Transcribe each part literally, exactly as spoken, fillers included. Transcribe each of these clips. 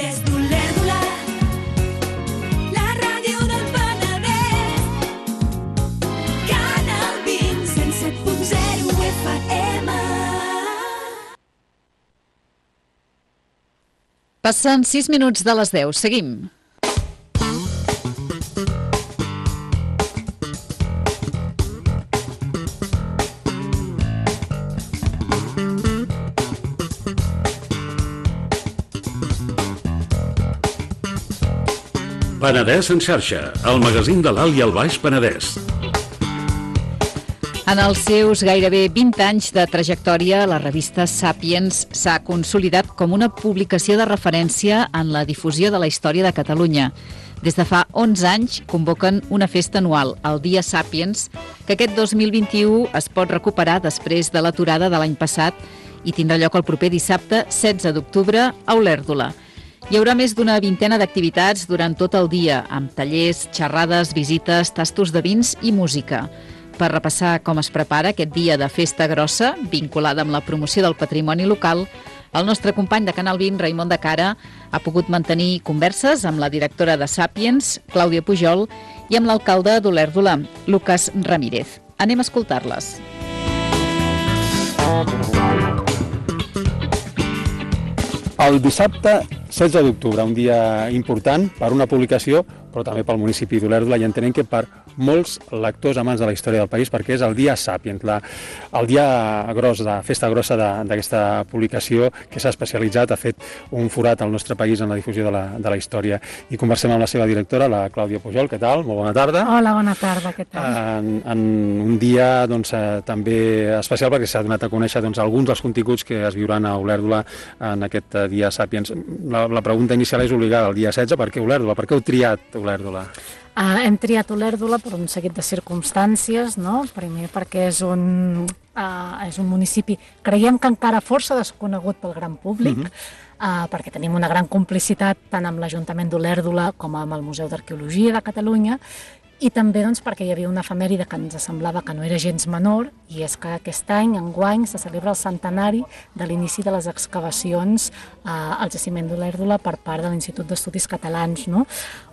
Des d'Olèrdola, la ràdio del Penedès, Canal vint, cent set punt zero F M. Passen sis minuts de les deu. Seguim. Penedès en xarxa, el magazín de l'Alt i el Baix Penedès. En els seus gairebé vint anys de trajectòria, la revista Sàpiens s'ha consolidat com una publicació de referència en la difusió de la història de Catalunya. Des de fa onze anys convoquen una festa anual, el Dia Sàpiens, que aquest dos mil vint-i-u es pot recuperar després de l'aturada de l'any passat i tindrà lloc el proper dissabte setze d'octubre a Olèrdola. Hi haurà més d'una vintena d'activitats durant tot el dia, amb tallers, xerrades, visites, tastos de vins i música. Per repassar com es prepara aquest dia de festa grossa, vinculada amb la promoció del patrimoni local, el nostre company de Canal vint, Raimon de Cara, ha pogut mantenir converses amb la directora de Sàpiens, Clàudia Pujol, i amb l'alcalde d'Olèrdola, Lucas Ramírez. Anem a escoltar-les. El dissabte setze d'octubre, un dia important per una publicació, però també pel municipi d'Olèrdola, i entenem que per molts lectors amants de la història del país, perquè és el Dia Sàpiens, la, el dia gros, de festa grossa d'aquesta publicació que s'ha especialitzat, ha fet un forat al nostre país en la difusió de la, de la història. I conversem amb la seva directora, la Clàudia Pujol. Què tal? Molt bona tarda. Hola, bona tarda. Què tal? En, en un dia doncs, també especial perquè s'ha donat a conèixer doncs, alguns dels continguts que es viuran a Olèrdola en aquest Dia Sàpiens. La, la pregunta inicial és obligada, el dia setze, per què Olèrdola? Per què heu triat Olèrdola? Uh, hem triat Olèrdola per un seguit de circumstàncies, no? Primer perquè és un, uh, és un municipi, creiem que encara força desconegut pel gran públic, uh-huh. uh, perquè tenim una gran complicitat tant amb l'Ajuntament d'Olèrdola com amb el Museu d'Arqueologia de Catalunya, i també doncs, perquè hi havia una efemèride que ens semblava que no era gens menor, i és que aquest any, enguany, se celebra el centenari de l'inici de les excavacions eh, al jaciment d'Olèrdola per part de l'Institut d'Estudis Catalans, no?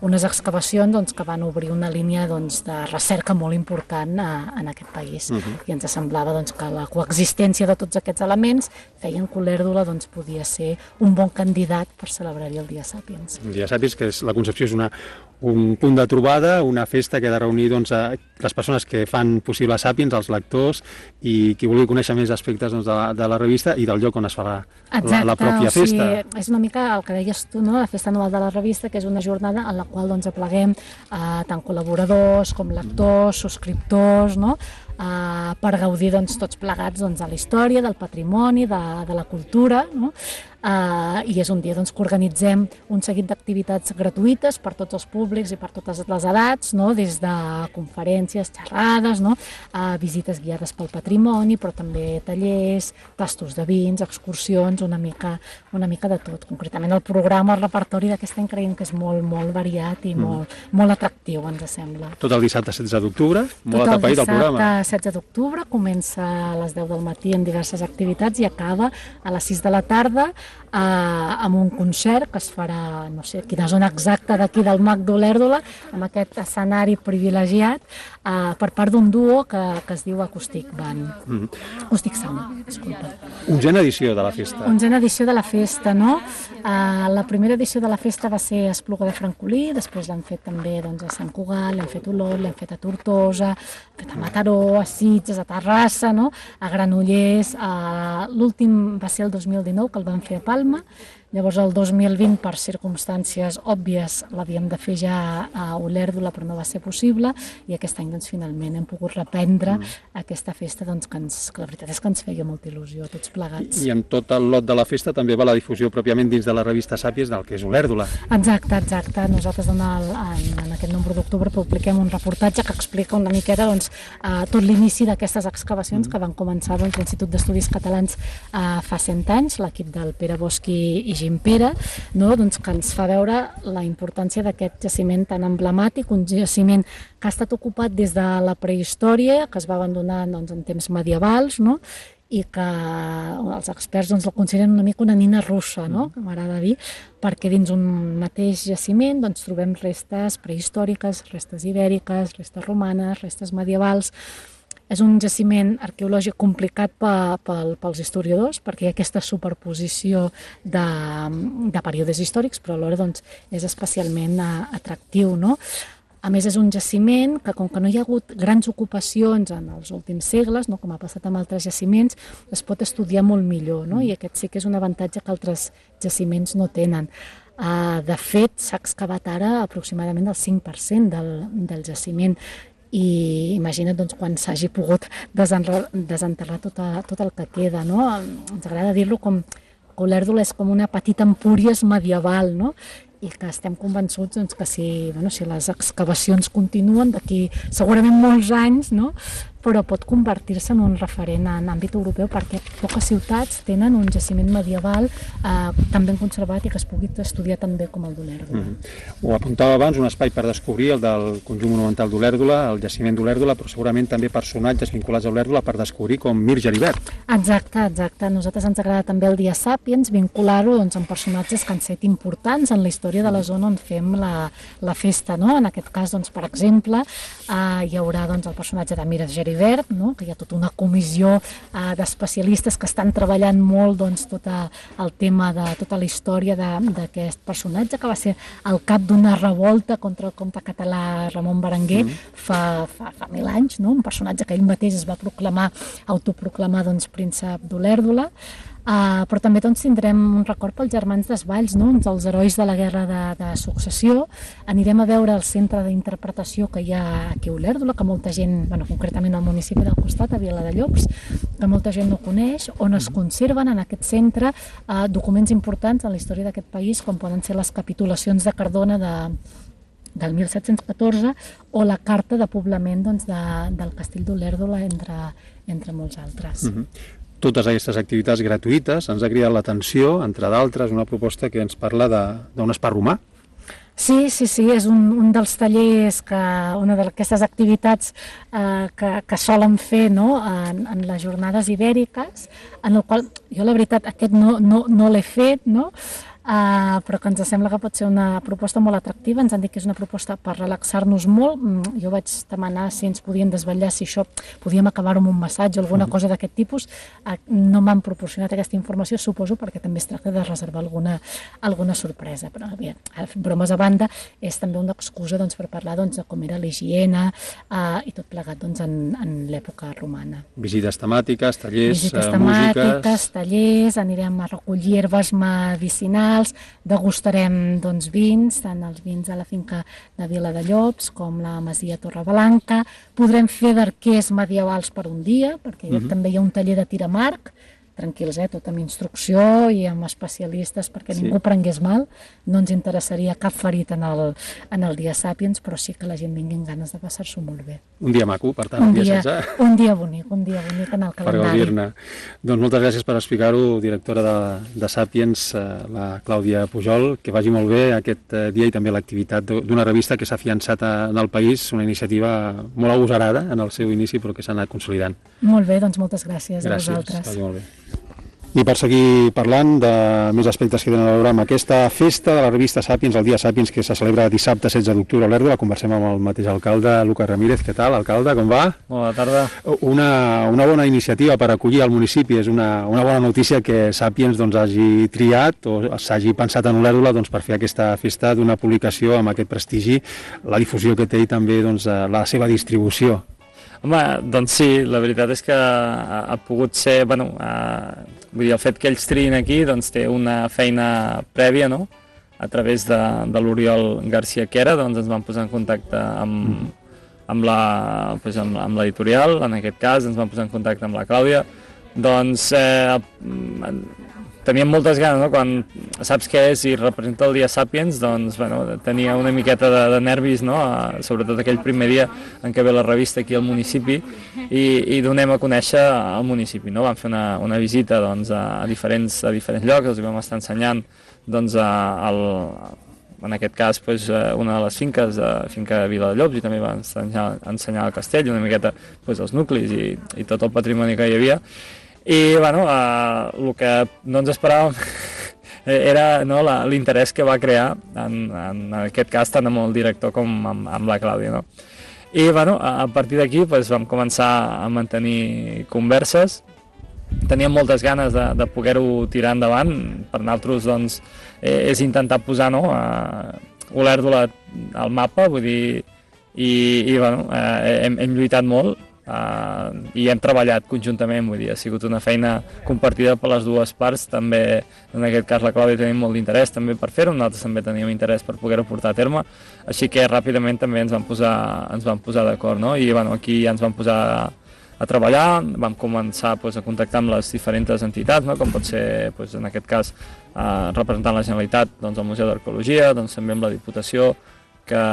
Unes excavacions doncs, que van obrir una línia doncs, de recerca molt important eh, en aquest país. Uh-huh. I ens semblava doncs, que la coexistència de tots aquests elements feien que Olèrdola doncs, podia ser un bon candidat per celebrar-hi el Dia Sàpiens. El Dia Sàpiens, que és, la concepció és una un punt de trobada, una festa que ha de reunir doncs, a les persones que fan possible Sàpiens, els lectors, i qui vulgui conèixer més aspectes doncs, de, la, de la revista i del lloc on es farà Exacte, la, la pròpia festa. O sigui, és una mica el que deies tu, no? La festa anual de la revista, que és una jornada en la qual doncs, apleguem eh, tant col·laboradors com lectors, subscriptors, no? Uh, per gaudir doncs, tots plegats doncs, de la història, del patrimoni, de, de la cultura, no? Uh, i és un dia doncs, que organitzem un seguit d'activitats gratuïtes per tots els públics i per totes les edats, no? Des de conferències, xerrades, no? uh, visites guiades pel patrimoni, però també tallers, tastos de vins, excursions, una mica, una mica de tot. Concretament el programa, el repertori d'aquest any creiem que és molt, molt variat i mm. molt, molt atractiu, ens sembla. Tot el dissabte setze d'octubre, molt atapeït el programa. Tot el dissabte setze d'octubre, comença a les deu del matí en diverses activitats i acaba a les sis de la tarda eh, amb un concert que es farà, no sé quina zona exacta d'aquí del Mag d'Olèrdola, amb aquest escenari privilegiat eh, per part d'un duo que, que es diu Acoustic Band. Mm. Acoustic Sound, disculpa. Onzena edició de la festa. Onzena edició de la festa, no? Eh, la primera edició de la festa va ser a Espluga de Francolí, després l'han fet també doncs, a Sant Cugat, l'hem fet a Olot, l'hem fet a Tortosa, l'hem fet a Mataró, a Sitges, a Terrassa, no? A Granollers, a... l'últim va ser el dos mil dinou, que el van fer a Palma. Llavors el dos mil vint, per circumstàncies òbvies, l'havíem de fer ja a Olèrdola, però no va ser possible, i aquest any doncs, finalment hem pogut reprendre mm. aquesta festa doncs, que, ens, que la veritat és que ens feia molta il·lusió a tots plegats. I en tot el lot de la festa també va la difusió pròpiament dins de la revista Sàpiens del que és Olèrdola. Exacte, exacte. Nosaltres en, el, en, en aquest nombre d'octubre publiquem un reportatge que explica una miqueta doncs, eh, tot l'inici d'aquestes excavacions mm. que van començar doncs, l'Institut d'Estudis Catalans eh, fa cent anys, l'equip del Pere Bosch i Gimpera, no? Doncs que ens fa veure la importància d'aquest jaciment tan emblemàtic, un jaciment que ha estat ocupat des de la prehistòria, que es va abandonar doncs, en temps medievals, no? i que els experts doncs, el consideren una mica una nina russa, no? Que m'agrada dir, perquè dins un mateix jaciment doncs, trobem restes prehistòriques, restes ibèriques, restes romanes, restes medievals. És un jaciment arqueològic complicat pels historiadors perquè hi ha aquesta superposició de, de períodes històrics, però alhora doncs, és especialment atractiu, no? A més, és un jaciment que, com que no hi ha hagut grans ocupacions en els últims segles, no, com ha passat amb altres jaciments, es pot estudiar molt millor, no? I aquest sí que és un avantatge que altres jaciments no tenen. Uh, de fet, s'ha excavat ara aproximadament el cinc per cent del, del jaciment, i imagina't doncs, quan s'hagi pogut desenterrar tot, a, tot el que queda, no? Ens agrada dir-lo com que Olèrdola és com una petita Empúries medieval, no? I que estem convençuts doncs, que si, bueno, si les excavacions continuen d'aquí segurament molts anys, no? Però pot convertir-se en un referent en àmbit europeu perquè poques ciutats tenen un jaciment medieval eh, tan ben conservat i que es pugui estudiar tan bé com el d'Olèrdola. Mm-hmm. Ho apuntava abans, un espai per descobrir el del conjunt monumental d'Olèrdola, el jaciment d'Olèrdola, però segurament també personatges vinculats a Olèrdola per descobrir com Mir Geribert. Exacte, exacte. A nosaltres ens agrada també el Dia Sàpiens, vincular-ho doncs, amb personatges que han set importants en la història de la zona on fem la, la festa, no? En aquest cas, doncs, per exemple, eh, hi haurà doncs, el personatge de Mir Geribert, no? Que hi ha tota una comissió eh, d'especialistes que estan treballant molt doncs, tot a, el tema de tota la història d'aquest personatge, que va ser el cap d'una revolta contra el comte català Ramon Berenguer mm. fa, fa, fa mil anys, no? Un personatge que ell mateix es va proclamar, autoproclamar doncs, príncep d'Olèrdola. Uh, però també doncs, tindrem un record pels germans Desvalls, no? Uns dels herois de la guerra de, de successió. Anirem a veure el centre d'interpretació que hi ha aquí a Olèrdola, que molta gent, bueno, concretament al municipi del costat, a Viladellops, que molta gent no coneix, on es conserven en aquest centre uh, documents importants en la història d'aquest país, com poden ser les capitulacions de Cardona de del mil set-cents catorze o la carta de poblament doncs, de, del castell d'Olèrdola, entre, entre molts altres. Mm-hmm. Totes aquestes activitats gratuïtes ens ha cridat l'atenció, entre d'altres, una proposta que ens parla d'un espar romà. Sí, sí, sí, és un, un dels tallers, que, una d'aquestes activitats eh, que, que solen fer, no? en, en les jornades ibèriques, en el qual jo la veritat aquest no, no, no l'he fet, no? Uh, però que ens sembla que pot ser una proposta molt atractiva. Ens han dit que és una proposta per relaxar-nos molt. Mm, jo vaig demanar si ens podien desvetllar, si això podíem acabar-ho amb un massatge o alguna cosa d'aquest tipus. Uh, no m'han proporcionat aquesta informació, suposo, perquè també es tracta de reservar alguna, alguna sorpresa. Però bé, bromes a banda, és també una excusa doncs, per parlar doncs, de com era l'higiene uh, i tot plegat doncs, en, en l'època romana. Visites temàtiques, tallers, Visites uh, temàtiques, músiques... tallers, anirem a recollir herbes medicinals, degustarem doncs, vins, tant els vins de la finca de Viladellops com la masia Torreblanca. Podrem fer d'arquers medievals per un dia, perquè uh-huh. també hi ha un taller de tir amb arc, tranquils, eh? Tot amb instrucció i amb especialistes perquè sí. Ningú prengués mal. No ens interessaria cap ferit en el, en el Dia Sàpiens, però sí que la gent vingui amb ganes de passar-s'ho molt bé. Un dia maco, per tant, un el dia, dia setze. Un dia bonic, un dia bonic en el calendari. Per gaudir-ne. Doncs moltes gràcies per explicar-ho, directora de, de Sàpiens, la Clàudia Pujol, que vagi molt bé aquest dia i també l'activitat d'una revista que s'ha afiançat en el país, una iniciativa molt agosarada en el seu inici, però que s'ha anat consolidant. Molt bé, doncs moltes gràcies, gràcies a vosaltres. Gràcies, molt bé. I per seguir parlant de més aspectes que tenen a veure amb aquesta festa de la revista Sàpiens, el Dia Sàpiens, que se celebra dissabte setze d'octubre a Olèrdola, conversem amb el mateix alcalde, Lucas Ramírez. Què tal, alcalde, com va? Bona tarda. Una, una bona iniciativa per acollir al municipi, és una, una bona notícia que Sàpiens doncs, hagi triat o s'hagi pensat en Olèrdola doncs, per fer aquesta festa d'una publicació amb aquest prestigi, la difusió que té i també doncs, la seva distribució. Home, doncs sí, la veritat és que ha, ha pogut ser, bueno, ha, vull dir, el fet que ells triïn aquí doncs té una feina prèvia, no? A través de, de l'Oriol García Quera, doncs ens vam posar en contacte amb, amb la, doncs amb, amb l'editorial, en aquest cas, ens vam posar en contacte amb la Clàudia, doncs eh, teníem moltes ganes, no? Quan saps què és i representa el Dia Sàpiens, doncs bueno, tenia una miqueta de, de nervis, no? Sobretot aquell primer dia en què ve la revista aquí al municipi i, i donem a conèixer al municipi, no? Vam fer una, una visita doncs, a, diferents, a diferents llocs, els vam estar ensenyant doncs, a, al, en aquest cas doncs, una de les finques, de finca de Viladellops, i també vam ensenyar, ensenyar el castell, una miqueta doncs, els nuclis i, i tot el patrimoni que hi havia. I bueno, uh, el que no ens esperàvem era no, l'interès que va crear, en, en aquest cas, tant amb el director com amb, amb la Clàudia. No? I bueno, a, a partir d'aquí pues, vam començar a mantenir converses. Teníem moltes ganes de, de poder-ho tirar endavant. Per nosaltres doncs, eh, és intentar posar no, uh, Olèrdola al mapa, vull dir, i, i bueno, eh, hem, hem lluitat molt. Uh, i hem treballat conjuntament, vull dir, ha sigut una feina compartida per les dues parts, també en aquest cas la Clàudia tenim molt d'interès també per fer-ho, nosaltres també teníem interès per poder-ho portar a terme, així que ràpidament també ens vam posar, ens vam posar d'acord, no? I bueno, aquí ja ens vam posar a, a treballar, vam començar pues, a contactar amb les diferents entitats, no? Com pot ser pues, en aquest cas uh, representant la Generalitat, doncs, el Museu d'Arqueologia, doncs, també amb la Diputació, que,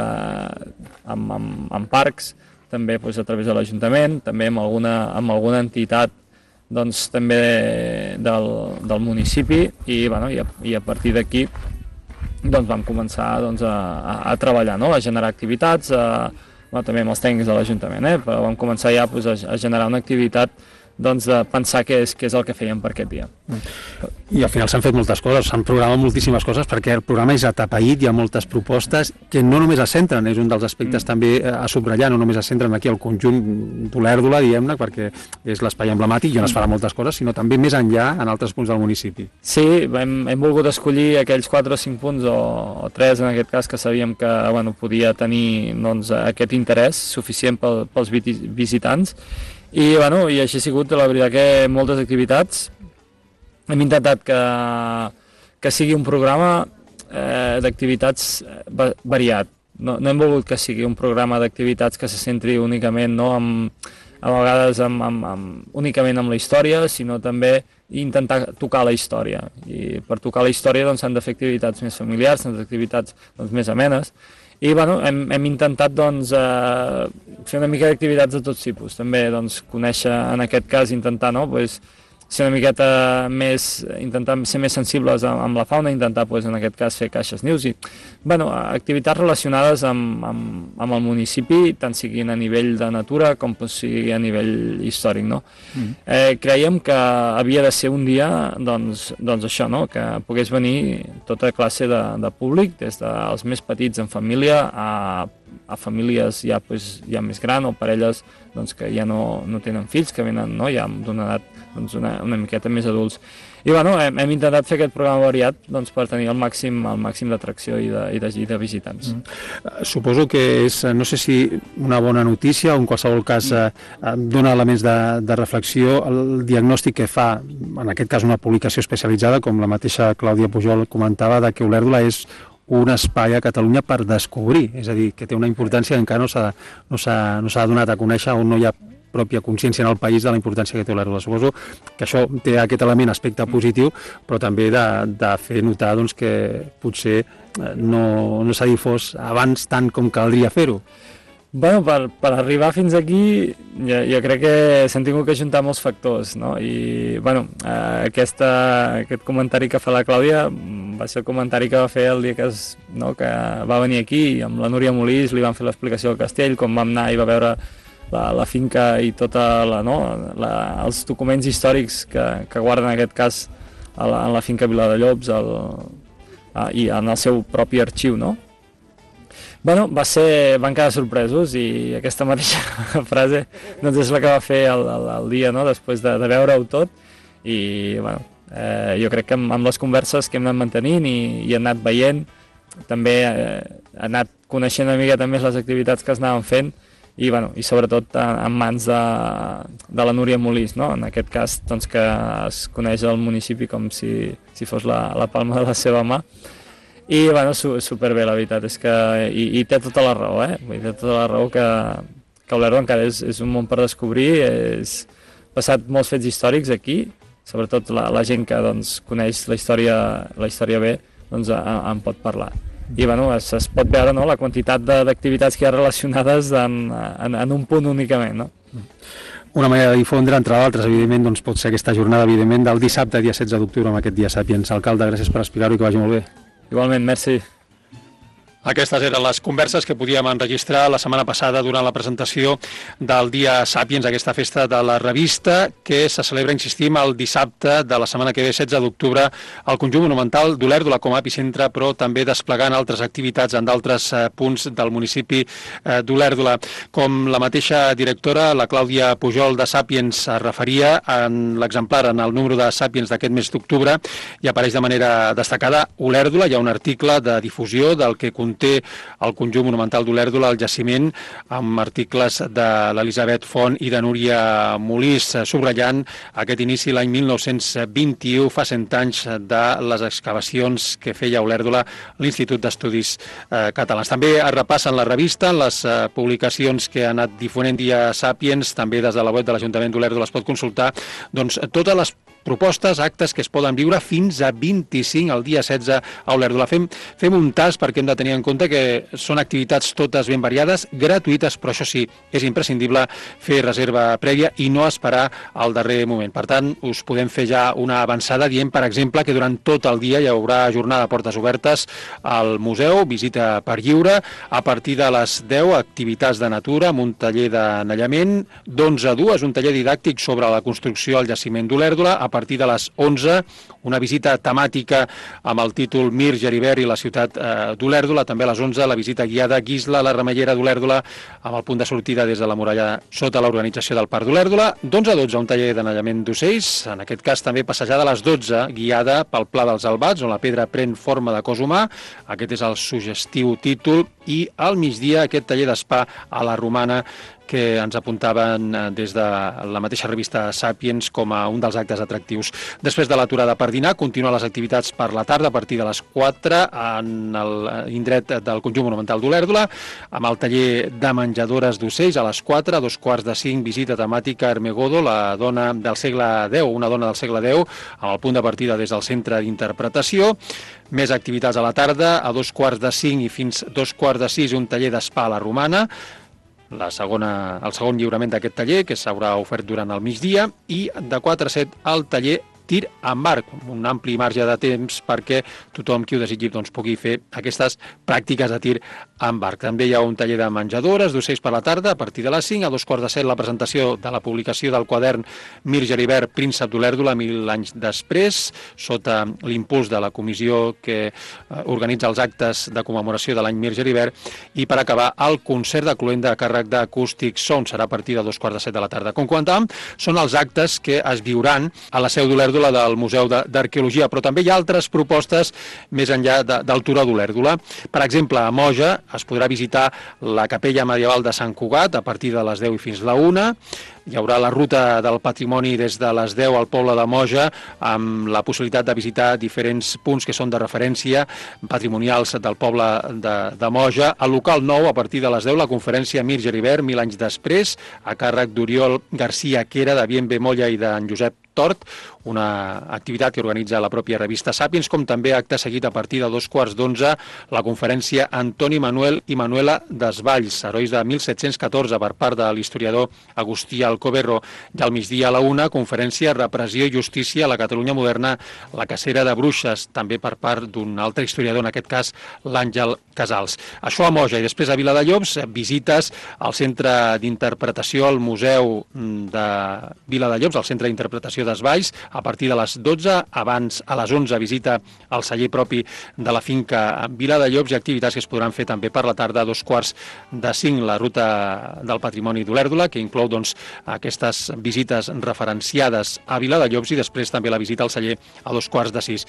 amb, amb, amb parcs, també doncs, a través de l'Ajuntament, també amb alguna, amb alguna entitat doncs, també del, del municipi i, bueno, i, a, i a partir d'aquí doncs, vam començar doncs, a, a, a treballar, no? A generar activitats, a, bueno, també amb els tècnics de l'Ajuntament, eh? Però vam començar ja doncs, a, a generar una activitat doncs, de pensar què és, què és el que fèiem per aquest dia. I al final s'han fet moltes coses, s'han programat moltíssimes coses perquè el programa és atapeït, hi ha moltes propostes que no només es centren, és un dels aspectes mm. també a subratllar, no només es centren aquí al conjunt d'Olèrdola, diguem-ne, perquè és l'espai emblemàtic i on es farà moltes coses, sinó també més enllà en altres punts del municipi. Sí, hem, hem volgut escollir aquells quatre o cinc punts, o, o tres en aquest cas, que sabíem que bueno, podia tenir doncs, aquest interès suficient pel, pels visitants. I, bueno, i així ha sigut, la veritat, que moltes activitats. Hem intentat que, que sigui un programa eh, d'activitats variat. No, no hem volgut que sigui un programa d'activitats que se centri únicament, no, amb, a vegades amb, amb, amb, únicament amb la història, sinó també intentar tocar la història. I per tocar la història doncs, s'han de fer activitats més familiars, s'han de fer activitats doncs, més amenes. I bueno, hem, hem intentat doncs, eh, fer una mica d'activitats de tots tipus, també doncs, conèixer, en aquest cas, intentar no, pues, ser una miqueta més, intentar ser més sensibles amb, amb la fauna, intentar pues, en aquest cas fer caixes nius i bueno, activitats relacionades amb, amb, amb el municipi, tant siguin a nivell de natura com sigui a nivell històric. No? Mm. Eh, creiem que havia de ser un dia doncs, doncs això, no? Que pogués venir tota classe de, de públic, des dels més petits en família a, a famílies ja, pues, ja més grans o parelles doncs, que ja no, no tenen fills, que venen no? Ja d'una edat doncs, una, una miqueta més adults. I bueno, hem, hem intentat fer aquest programa variat doncs, per tenir el màxim, el màxim d'atracció i, de, i, de, i de visitants. Mm. Suposo que és, no sé si una bona notícia o en qualsevol cas eh, dona elements de, de reflexió el diagnòstic que fa, en aquest cas una publicació especialitzada, com la mateixa Clàudia Pujol comentava, de que Olèrdola és un espai a Catalunya per descobrir, és a dir, que té una importància que encara no s'ha no s'ha no s'ha donat a conèixer o no hi ha pròpia consciència en el país de la importància que té Olèrdola. Suposo que això té aquest element, aspecte positiu, però també de, de fer notar doncs, que potser no, no s'ha difós abans tant com caldria fer-ho. Bueno, per, per arribar fins aquí jo, jo crec que s'han tingut que juntar molts factors, no? I bueno, eh, aquesta, aquest comentari que fa la Clàudia va ser el comentari que va fer el dia que, es, no, que va venir aquí amb la Núria Molís, li van fer l'explicació del castell, com vam anar i va veure la, la finca i tota la, no, la, els documents històrics que, que guarden en aquest cas a la, en la finca Viladellobs el, a, i en el seu propi arxiu, no? Bueno, va ser, van quedar sorpresos i aquesta mateixa frase doncs és la que va fer el, el, el dia, no? Després de, de veure-ho tot i bueno, eh, jo crec que amb, amb les converses que hem anat mantenint i, i hem anat veient, també eh, ha anat coneixent una miqueta més les activitats que es anaven fent i, bueno, i sobretot en, en mans de, de la Núria Molís, no? En aquest cas doncs, que es coneix el municipi com si, si fos la, la palma de la seva mà. I bueno, su, superbé, la veritat és que i, i té tota la raó, eh? Té tota la raó que, que Olèrdola encara és, és un món per descobrir, és passat molts fets històrics aquí, sobretot la, la gent que doncs, coneix la història, la història bé, doncs en, en pot parlar. I bueno, es, es pot veure no, la quantitat d'activitats que hi ha relacionades en, en, en un punt únicament, no? Una manera de difondre, entre d'altres, evidentment, doncs pot ser aquesta jornada, evidentment, del dissabte, dia setze d'octubre, amb aquest dia Sàpiens. Alcalde, gràcies per explicar-ho i que vagi molt bé. Igualment, merci. Aquestes eren les converses que podíem enregistrar la setmana passada durant la presentació del Dia Sàpiens, aquesta festa de la revista, que se celebra, insistim, el dissabte de la setmana que ve, setze d'octubre, al conjunt monumental d'Olèrdola com a epicentre, però també desplegant altres activitats en d'altres eh, punts del municipi eh, d'Olèrdola. Com la mateixa directora, la Clàudia Pujol de Sàpiens, es referia en l'exemplar, en el número de Sàpiens d'aquest mes d'octubre, i apareix de manera destacada Olèrdola. Hi ha un article de difusió del que conté el conjunt monumental d'Olèrdola, el jaciment, amb articles de l'Elisabet Font i de Núria Molís, subratllant aquest inici l'any mil nou-cents vint-i-u, fa cent anys, de les excavacions que feia a Olèrdola l'Institut d'Estudis eh, Catalans. També es repassen la revista, en les eh, publicacions que ha anat difonent Dia Sàpiens, també des de la web de l'Ajuntament d'Olèrdola es pot consultar doncs, totes les propostes, actes que es poden viure fins a vint-i-cinc, el dia setze a Olèrdola. Fem, fem un tas perquè hem de tenir en compte que són activitats totes ben variades, gratuïtes, però això sí, és imprescindible fer reserva prèvia i no esperar al darrer moment. Per tant, us podem fer ja una avançada dient, per exemple, que durant tot el dia hi haurà jornada de portes obertes al museu, visita per lliure, a partir de les deu, activitats de natura, amb un taller d'anellament, d'onze a dues, un taller didàctic sobre la construcció al jaciment d'Olèrdola, a partir de les onze, una visita temàtica amb el títol Mir, Geribert i la ciutat eh, d'Olèrdola. També a les onze, la visita guiada Guisla, la remellera d'Olèrdola, amb el punt de sortida des de la muralla sota l'organització del Parc d'Olèrdola. d'onze a dotze, un taller d'anellament d'ocells, en aquest cas també passejada a les dotze, guiada pel Pla dels Albats, on la pedra pren forma de cos humà. Aquest és el suggestiu títol. I al migdia, aquest taller d'espa a la Romana, que ens apuntaven des de la mateixa revista Sàpiens com a un dels actes atractius. Després de l'aturada per dinar, continuen les activitats per la tarda a partir de les quatre en l'indret del conjunt monumental d'Olèrdola, amb el taller de menjadores d'ocells a les quatre, a dos quarts de cinc, visita temàtica Hermegodo, la dona del segle deu, una dona del segle deu, amb el punt de partida des del centre d'interpretació. Més activitats a la tarda, a dos quarts de cinc i fins dos quarts de sis, un taller d'espa a la Romana, la segona, el segon lliurament d'aquest taller, que s'haurà ofert durant el migdia, i de quatre a set el taller tir amb arc, un ampli marge de temps perquè tothom qui ho desitgi doncs, pugui fer aquestes pràctiques de tir amb arc. També hi ha un taller de menjadores d'ocells per la tarda a partir de les cinc, a dos quarts de set la presentació de la publicació del quadern Mir Geribert, príncep d'Olèrdola, mil anys després, sota l'impuls de la comissió que organitza els actes de commemoració de l'any Mir Geribert, i per acabar el concert de cloenda a càrrec d'Acústic Sound, serà a partir de dos quarts de set de la tarda. Com comentàvem, són els actes que es viuran a la seu d'Olèrdola del Museu d'Arqueologia, però també hi ha altres propostes més enllà de, del Turó d'Olèrdola. Per exemple, a Moja es podrà visitar la capella medieval de Sant Cugat a partir de les deu i fins la una. Hi haurà la ruta del patrimoni des de les deu al poble de Moja, amb la possibilitat de visitar diferents punts que són de referència patrimonials del poble de, de Moja. Al local nou, a partir de les deu, la conferència Mir Geribert, mil anys després, a càrrec d'Oriol García Quera, de Bienve Molla i d'en Josep Tort, una activitat que organitza la pròpia revista Sàpiens, com també acte seguit a partir de dos quarts d'onze, la conferència Antoni Manuel i Manuela Desvalls, herois de mil set-cents catorze, per part de l'historiador Agustí Alcoberro. I al migdia a la una, conferència Repressió i Justícia a la Catalunya moderna, la cacera de bruixes, també per part d'un altre historiador, en aquest cas l'Àngel Casals. Això a Moja, i després a Viladellobs, visites al centre d'interpretació, al Museu de Viladellobs, al centre d'interpretació d'Esvalls, a partir de les dotze, abans a les onze visita al celler propi de la finca Viladellobs, i activitats que es podran fer també per la tarda, a dos quarts de cinc, la ruta del patrimoni d'Olèrdola, que inclou doncs, aquestes visites referenciades a Viladellobs, i després també la visita al celler a dos quarts de sis.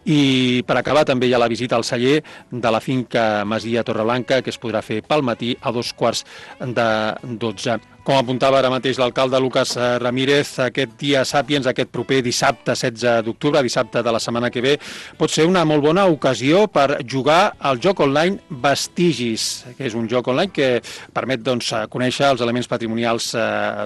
I per acabar també hi ha la visita al celler de la finca Masia Torreblanca, que es podrà fer pel matí a dos quarts de dotze. Com apuntava ara mateix l'alcalde Lucas Ramírez, aquest Dia Sàpiens, aquest proper dissabte setze d'octubre, dissabte de la setmana que ve, pot ser una molt bona ocasió per jugar al joc online Vestigis, que és un joc online que permet doncs, conèixer els elements patrimonials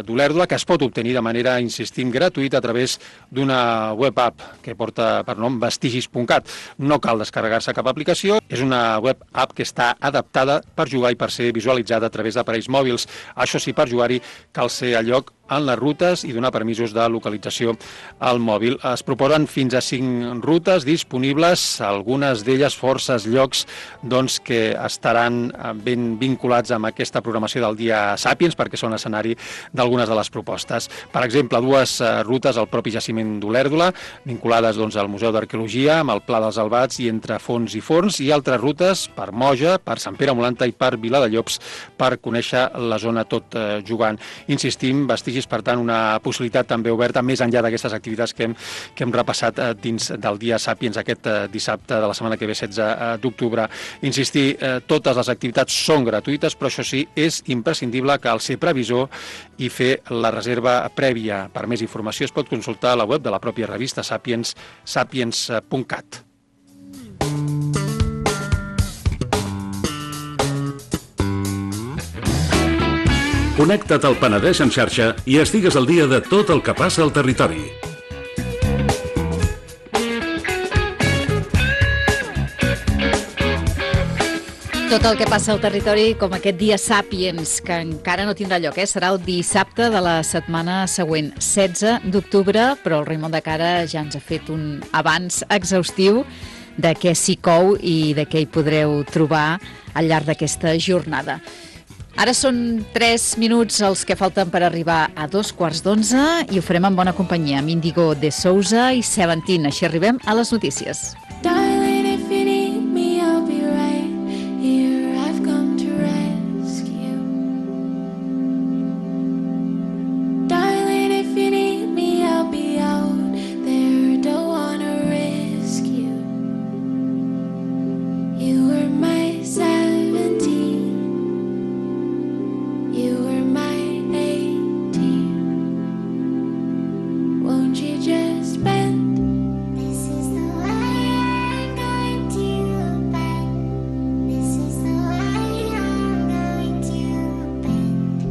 d'Olèrdola, que es pot obtenir de manera, insistim, gratuïta a través d'una web app que porta per nom vestigis punt cat. No cal descarregar-se cap aplicació, és una web app que està adaptada per jugar i per ser visualitzada a través d'aparells mòbils. Això sí, per jugar cal ser a lloc en les rutes i donar permisos de localització al mòbil. Es proposen fins a cinc rutes disponibles, algunes d'elles forces llocs doncs, que estaran ben vinculats amb aquesta programació del Dia Sàpiens, perquè són escenari d'algunes de les propostes. Per exemple, dues rutes al propi jaciment d'Olèrdola, vinculades doncs, al Museu d'Arqueologia, amb el Pla dels Albats i entre Fons i Forns, i altres rutes per Moja, per Sant Pere Molanta i per Viladellobs, per conèixer la zona tot eh, jugant. Insistim, vestigis, per tant, una possibilitat també oberta, més enllà d'aquestes activitats que hem, que hem repassat eh, dins del Dia Sàpiens aquest eh, dissabte de la setmana que ve, setze d'octubre. Insistir, eh, totes les activitats són gratuïtes, però això sí, és imprescindible cal ser previsor i fer la reserva prèvia. Per més informació es pot consultar a la web de la pròpia revista Sàpiens, sàpiens punt cat. Connecta't al Penedès en xarxa i estigues al dia de tot el que passa al territori. Tot el que passa al territori, com aquest Dia Sàpiens, que encara no tindrà lloc, eh? Serà el dissabte de la setmana següent, setze d'octubre, però el Raimon de Cara ja ens ha fet un avanç exhaustiu de què s'hi cou i de què hi podreu trobar al llarg d'aquesta jornada. Ara són tres minuts els que falten per arribar a dos quarts d'onze i ho farem en bona companyia amb Índigo de Sousa i Seventeen. Així arribem a les notícies. Darling, if you need me, I'll be right here. I've come to rescue. Darling, if you need me, I'll be out there. Don't wanna risk you. You were my seventeen. You were my eighteen. Won't you just bend? This is the way I'm going to bend. This is the way I'm going to bend.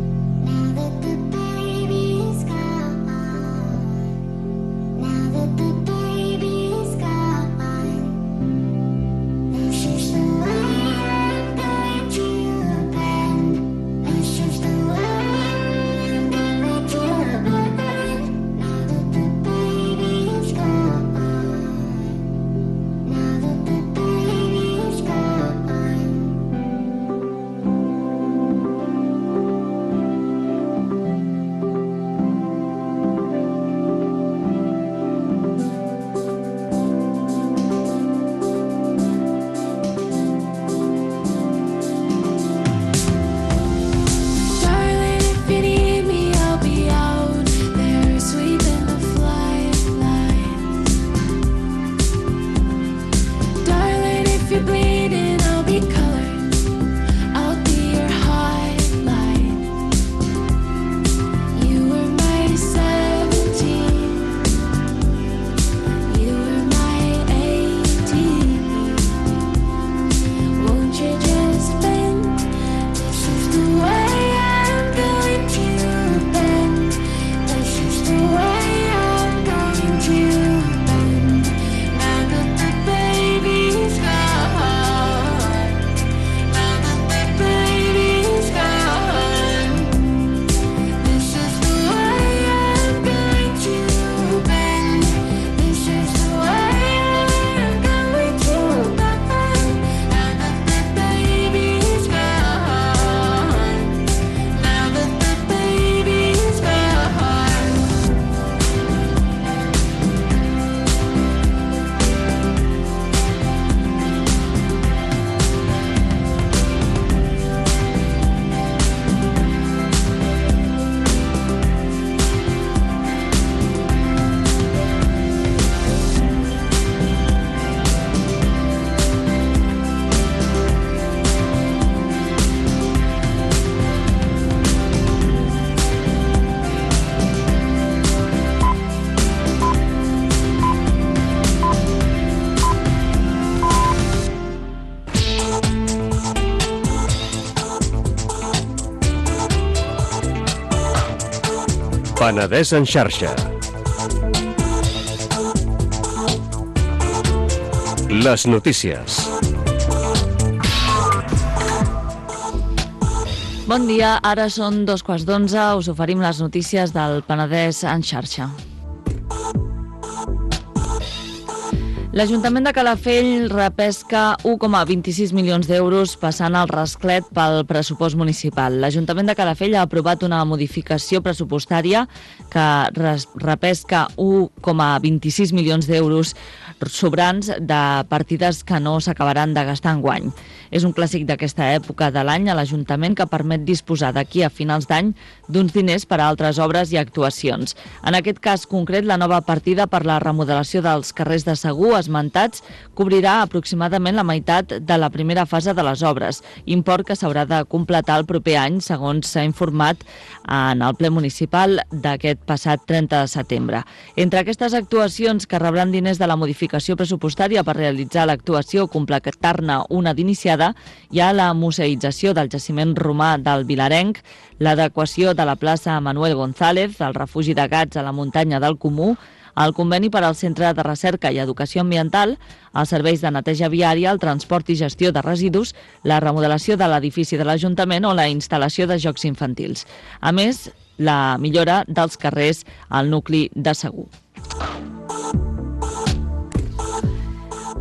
Now that the baby's gone. Now that the baby's gone. This is the way I'm going to bend. This is the way I'm going to bend. Now that the baby's gone. Now that the baby's gone. Darling, if you need me, I'll be out there sweeping the flight lines. Darling, if you're bleeding, I'll be colored. I'll be your highlight. You were my seventeen. You were my eighteen. Won't you just bend? This is the way I'm going to bend. This is the way I'm going to bend. Now that the baby's gone. Now that the baby's gone. This is the way I'm going to bend. This is the way I'm going to bend. Now that the baby's gone. Now that the baby's gone. Penedès en xarxa. Les notícies. Bon dia, ara són dos quarts d'onze, us oferim les notícies del Penedès en xarxa. L'Ajuntament de Calafell repesca u coma vint-i-sis milions d'euros passant el rasclet pel pressupost municipal. L'Ajuntament de Calafell ha aprovat una modificació pressupostària que repesca u coma vint-i-sis milions d'euros sobrants de partides que no s'acabaran de gastar enguany. És un clàssic d'aquesta època de l'any a l'Ajuntament que permet disposar d'aquí a finals d'any d'uns diners per a altres obres i actuacions. En aquest cas concret, la nova partida per la remodelació dels carrers de Segur esmentats cobrirà aproximadament la meitat de la primera fase de les obres, import que s'haurà de completar el proper any, segons s'ha informat en el ple municipal d'aquest passat trenta de setembre. Entre aquestes actuacions que rebran diners de la modificació pressupostària per realitzar l'actuació o completar-ne una d'iniciada, hi ha la museïtzació del jaciment romà del Vilarenc, l'adequació de la plaça Manuel González, el refugi de gats a la muntanya del Comú, el conveni per al Centre de Recerca i Educació Ambiental, els serveis de neteja viària, el transport i gestió de residus, la remodelació de l'edifici de l'Ajuntament o la instal·lació de jocs infantils. A més, la millora dels carrers al nucli de Segur.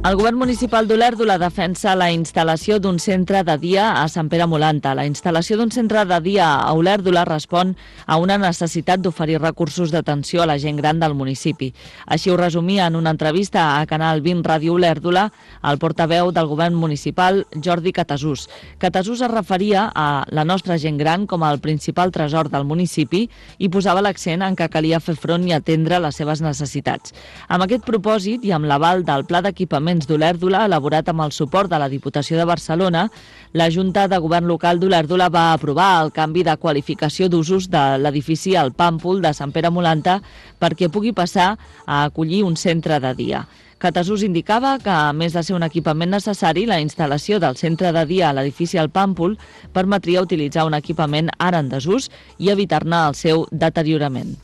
El govern municipal d'Olèrdola defensa la instal·lació d'un centre de dia a Sant Pere Molanta. La instal·lació d'un centre de dia a Olèrdola respon a una necessitat d'oferir recursos d'atenció a la gent gran del municipi. Així ho resumia en una entrevista a Canal vint Ràdio Olèrdola el portaveu del govern municipal, Jordi Catasús. Catasús es referia a la nostra gent gran com el principal tresor del municipi i posava l'accent en que calia fer front i atendre les seves necessitats. Amb aquest propòsit i amb l'aval del Pla d'Equipament d'Olèrdola, elaborat amb el suport de la Diputació de Barcelona, la Junta de Govern Local d'Olèrdola va aprovar el canvi de qualificació d'usos de l'edifici al Pàmpol de Sant Pere Molanta perquè pugui passar a acollir un centre de dia. Catasús indicava que, a més de ser un equipament necessari, la instal·lació del centre de dia a l'edifici al Pàmpol permetria utilitzar un equipament ara en desús i evitar-ne el seu deteriorament.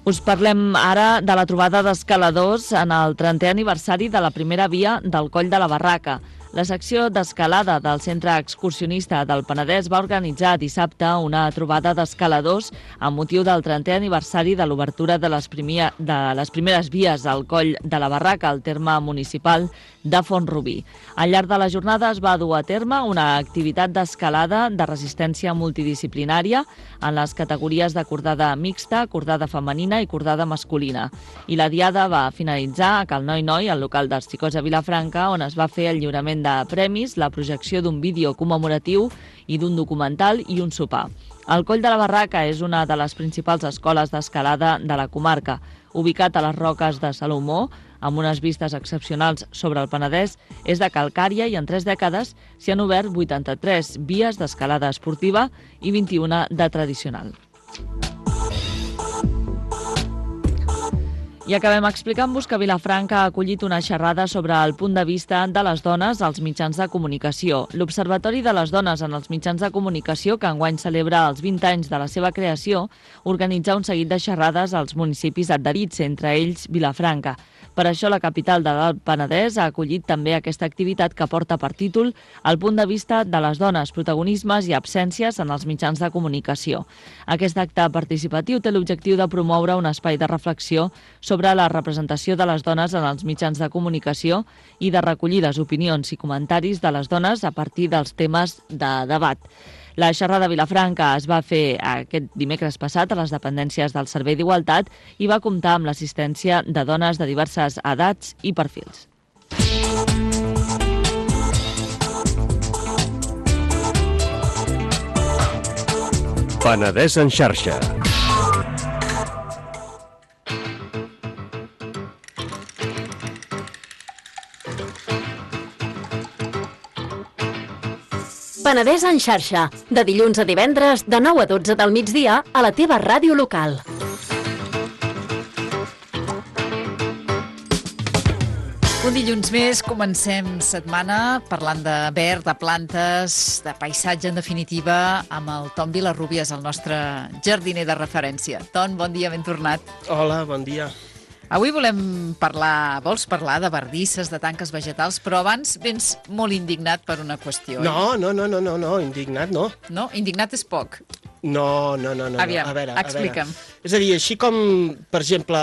Us parlem ara de la trobada d'escaladors en el trentè aniversari de la primera via del Coll de la Barraca. La secció d'escalada del Centre Excursionista del Penedès va organitzar dissabte una trobada d'escaladors amb motiu del trentè aniversari de l'obertura de les, primia, de les primeres vies al Coll de la Barraca, al terme municipal de Font-rubí. Al llarg de la jornada es va dur a terme una activitat d'escalada de resistència multidisciplinària en les categories de cordada mixta, cordada femenina i cordada masculina. I la diada va finalitzar a Cal Noi Noi, al local dels Xicots a Vilafranca, on es va fer el lliurament de premis, la projecció d'un vídeo commemoratiu i d'un documental i un sopar. El Coll de la Barraca és una de les principals escoles d'escalada de la comarca. Ubicat a les roques de Salomó, amb unes vistes excepcionals sobre el Penedès, és de calcària i en tres dècades s'hi han obert vuitanta-tres vies d'escalada esportiva i vint-i-una de tradicional. I acabem explicant-vos que Vilafranca ha acollit una xerrada sobre el punt de vista de les dones als mitjans de comunicació. L'Observatori de les Dones en els Mitjans de Comunicació, que enguany celebra els vint anys de la seva creació, organitza un seguit de xerrades als municipis adherits, entre ells Vilafranca. Per això la capital del Penedès ha acollit també aquesta activitat que porta per títol el punt de vista de les dones, protagonismes i absències en els mitjans de comunicació. Aquest acte participatiu té l'objectiu de promoure un espai de reflexió sobre la representació de les dones en els mitjans de comunicació i de recollir les opinions i comentaris de les dones a partir dels temes de debat. La xerrada a Vilafranca es va fer aquest dimecres passat a les dependències del Servei d'Igualtat i va comptar amb l'assistència de dones de diverses edats i perfils. Penedès en xarxa. Penedès en xarxa, de dilluns a divendres, de nou a dotze del migdia, a la teva ràdio local. Un dilluns més, comencem setmana parlant de verd, de plantes, de paisatge, en definitiva, amb el Ton Vilarrubias, el nostre jardiner de referència. Ton, bon dia, ben tornat. Hola, bon dia. Avui volem parlar, vols parlar de bardisses, de tanques vegetals, però abans vens molt indignat per una qüestió. No, no, no, no, no, no, indignat no. No? Indignat és poc. No, no, no, no. Aviam, a veure, explica'm. A veure. És a dir, així com, per exemple,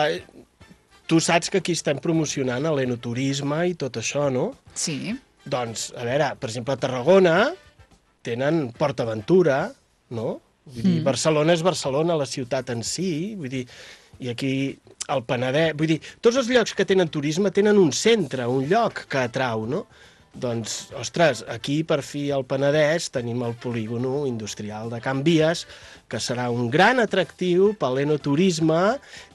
tu saps que aquí estem promocionant l'enoturisme i tot això, no? Sí. Doncs, a veure, per exemple, a Tarragona tenen Port Aventura, no? Vull dir, mm. Barcelona és Barcelona, la ciutat en si, vull dir, i aquí el Penedès, vull dir, tots els llocs que tenen turisme tenen un centre, un lloc que atrau, no? Doncs, ostres, aquí per fi al Penedès tenim el polígono industrial de Can Vies, que serà un gran atractiu per l'enoturisme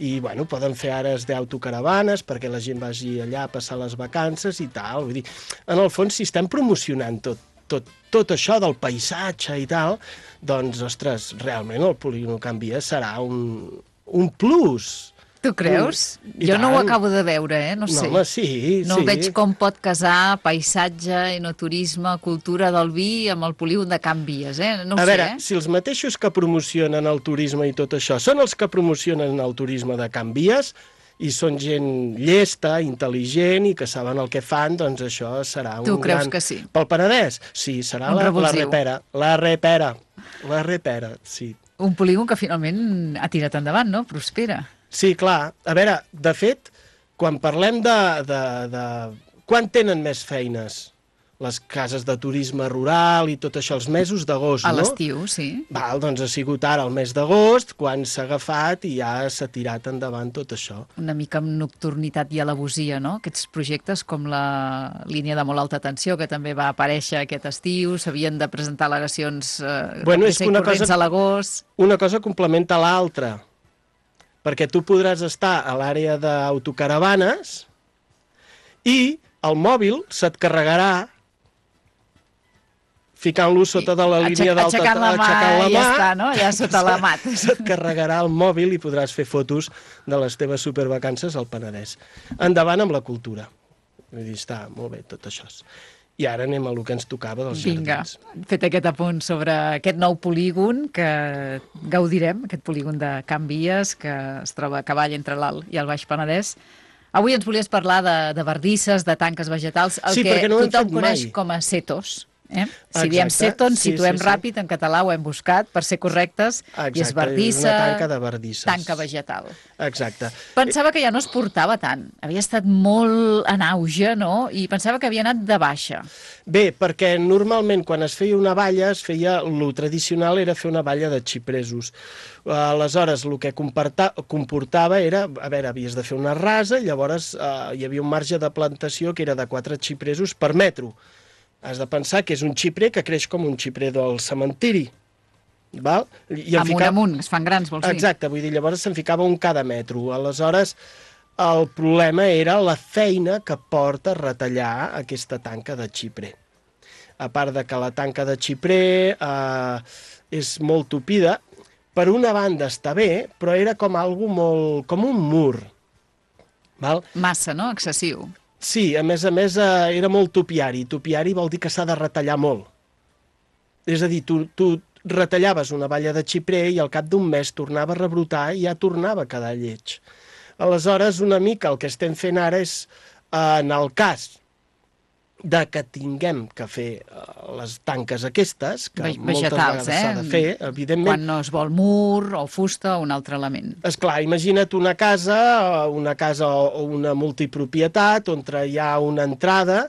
i, bueno, poden fer ares d'autocaravanes perquè la gent vagi allà a passar les vacances i tal. Vull dir, en el fons, si estem promocionant tot, tot, tot això del paisatge i tal, doncs, ostres, realment el polígono Can Vies serà un, un plus. Tu creus? Jo no ho acabo de veure, eh? No sé. No, home, sí, no sí. veig com pot casar paisatge, enoturisme, cultura del vi amb el polígon de Can Vies, eh? No ho a sé, veure, eh? si els mateixos que promocionen el turisme i tot això són els que promocionen el turisme de Can Vies i són gent llesta, intel·ligent i que saben el que fan, doncs això serà un tu creus gran... que sí? Pel Penedès? Sí, serà la, la repera. La repera. La repera, sí. Un polígon que finalment ha tirat endavant, no? Prospera. Sí, clar. A veure, de fet, quan parlem de... de, de... Quan tenen més feines? Les cases de turisme rural i tot això, els mesos d'agost, no? A l'estiu, sí. Val, doncs ha sigut ara el mes d'agost, quan s'ha agafat i ja s'ha tirat endavant tot això. Una mica amb nocturnitat i alevosia, no? Aquests projectes com la línia de molt alta tensió, que també va aparèixer aquest estiu, s'havien de presentar al·legacions eh, bueno, és que una corrents cosa, a l'agost. Una cosa complementa l'altra, perquè tu podràs estar a l'àrea d'autocaravanes i el mòbil se't carregarà ficant-lo sota de la línia d'alta... Aixecant la mà, aixecant la mà, ja està, no? Allà sota la mat. Se't carregarà el mòbil i podràs fer fotos de les teves supervacances al Penedès. Endavant amb la cultura. Vull dir, està molt bé tot això. I ara anem a lo que ens tocava dels Vinga, jardins. fet aquest apunt sobre aquest nou polígon que gaudirem, aquest polígon de Can Vies, que es troba a cavall entre l'Alt i el Baix Penedès. Avui ens volies parlar de, de bardisses, de tanques vegetals, el sí, que no tothom coneix mai. com a setos. Eh? Si Exacte, diem seto, ens sí, situem sí, sí. ràpid, en català ho hem buscat, per ser correctes, Exacte, i és bardissa, una tanca de bardisses. tanca vegetal. Exacte. Pensava que ja no es portava tant, havia estat molt en auge, no? I pensava que havia anat de baixa. Bé, perquè normalment quan es feia una valla, es feia, lo tradicional era fer una valla de xipresos. Aleshores, el que comportava era, a veure, havies de fer una rasa, llavors eh, hi havia un marge de plantació que era de quatre xipresos per metro. Has de pensar que és un xiprer que creix com un xiprer del cementiri. Val? I amunt, fica... amunt, es fan grans, vols dir? Exacte, vull dir, llavors se'n ficava un cada metro. Aleshores, el problema era la feina que porta a retallar aquesta tanca de xiprer. A part de que la tanca de xiprer eh, és molt tupida, per una banda està bé, però era com algo molt... com un mur. Val? Massa, no? Excessiu. Sí, a més a més eh, era molt topiari. Topiari vol dir que s'ha de retallar molt. És a dir, tu, tu retallaves una valla de xiprer i al cap d'un mes tornava a rebrotar i ja tornava a quedar lleig. Aleshores, una mica el que estem fent ara és, eh, en el cas de que tinguem que fer uh, les tanques aquestes, que Vegetals, moltes vegades eh? s'ha de fer, evidentment. Quan no es vol mur o fusta o un altre element. Esclar, imagina't una casa, una casa o una multipropietat on hi ha una entrada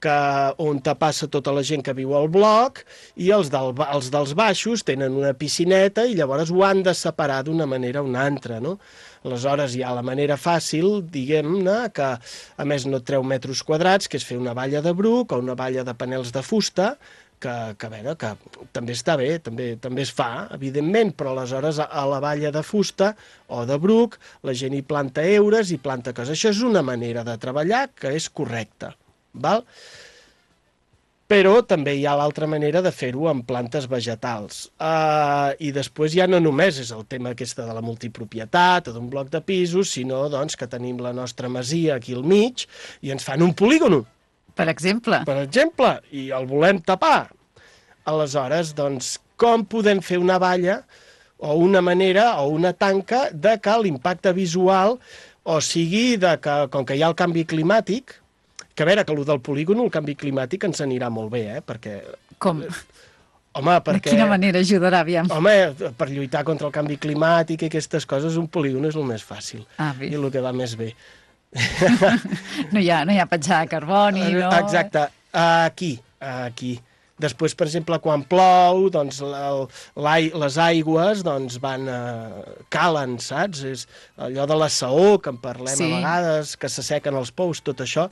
que, on te passa tota la gent que viu al bloc i els, del, els dels baixos tenen una piscineta i llavors ho han de separar d'una manera o una altra, no? Aleshores hi ha la manera fàcil, diguem-ne, que a més no et treu metres quadrats, que és fer una valla de bruc o una valla de panels de fusta, que, que a veure, que també està bé, també, també es fa, evidentment, però aleshores a, a la valla de fusta o de bruc la gent hi planta heures i planta coses. Això és una manera de treballar que és correcta, val? Però també hi ha l'altra manera de fer-ho amb plantes vegetals. Uh, I després ja no només és el tema aquesta de la multipropietat o d'un bloc de pisos, sinó doncs, que tenim la nostra masia aquí al mig i ens fan un polígono. Per exemple? Per exemple, i el volem tapar. Aleshores, doncs, com podem fer una valla o una manera o una tanca de que l'impacte visual o sigui de que, com que hi ha el canvi climàtic, que a veure, que el del polígon, el canvi climàtic ens anirà molt bé, eh? Perquè... Com? Home, perquè... De quina manera ajudarà, aviam? Home, per lluitar contra el canvi climàtic i aquestes coses, un polígon és el més fàcil. Ah, bé. I el que va més bé. No hi ha, no hi ha petjada de carboni, no? Exacte. Aquí, aquí. Després, per exemple, quan plou, doncs, el, les aigües doncs, van, eh, calen, saps? És allò de la saó, que en parlem sí. a vegades, que s'assequen els pous, tot això,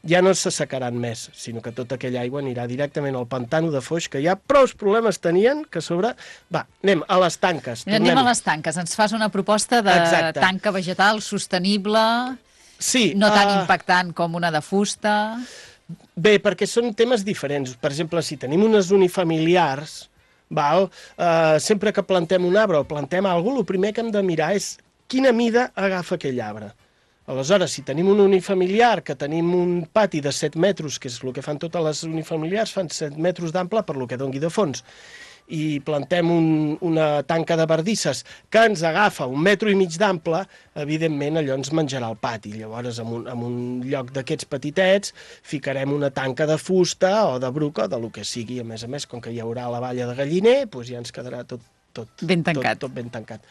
ja no s'assecaran més, sinó que tota aquella aigua anirà directament al pantano de Foix, que ja prou problemes tenien, que a sobre... Va, anem a les tanques. Tornem. Anem a les tanques. Ens fas una proposta de Exacte. tanca vegetal sostenible, sí, no tan uh... impactant com una de fusta... Bé, perquè són temes diferents. Per exemple, si tenim unes unifamiliars, val, eh, sempre que plantem un arbre o plantem alguna cosa, el primer que hem de mirar és quina mida agafa aquell arbre. Aleshores, si tenim un unifamiliar, que tenim un pati de set metres, que és el que fan totes les unifamiliars, fan set metres d'ample per lo que dongui de fons, i plantem un, una tanca de bardisses que ens agafa un metro i mig d'ample, evidentment allò ens menjarà el pati. Llavors, en un, en un lloc d'aquests petitets, ficarem una tanca de fusta o de bruca o de lo que sigui. A més a més, com que hi haurà la valla de galliner, doncs ja ens quedarà tot, tot, ben tancat. Tot, tot ben tancat.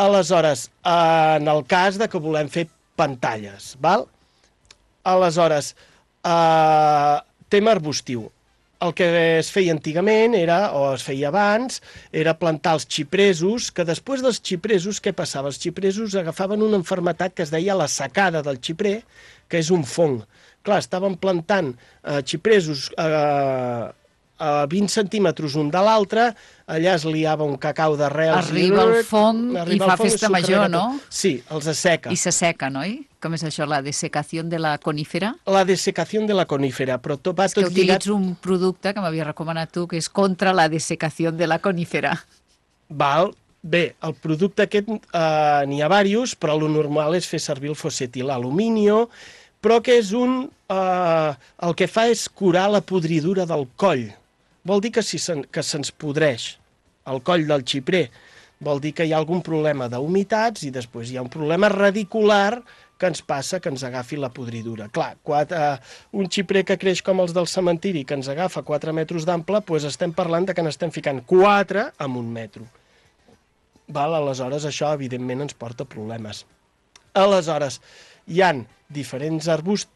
Aleshores, en el cas de que volem fer pantalles, val? Aleshores, eh, tema arbustiu. El que es feia antigament, era, o es feia abans, era plantar els xipresos, que després dels xipresos, què passava? Els xipresos agafaven una malaltia que es deia la secada del xiprer, que és un fong. Clar, estaven plantant eh, xipresos eh, a vint centímetres un de l'altre, allà es liava un cacau d'arrels... Arriba el fong i fa festa major, no? Sí, els asseca. I s'asseca, no? Com és això, la dessecació de la conífera? La dessecació de la conífera, però tot va és tot que lligat... utilitzo un producte que m'havia recomanat tu, que és contra la dessecació de la conífera. Val, bé, el producte aquest eh, n'hi ha diversos, però el normal és fer servir el fosfetilaluminio, però que és un... Eh, el que fa és curar la podridura del coll. Vol dir que, si se, que se'ns podreix el coll del xiprer, vol dir que hi ha algun problema d'humitats i després hi ha un problema radicular que ens passa, que ens agafi la podridura. Clar, quatre, uh, un xiprer que creix com els del cementiri, que ens agafa quatre metres d'ample, doncs estem parlant de que n'estem ficant quatre en un metro. Val? Aleshores, això, evidentment, ens porta problemes. Aleshores, hi han diferents, arbust,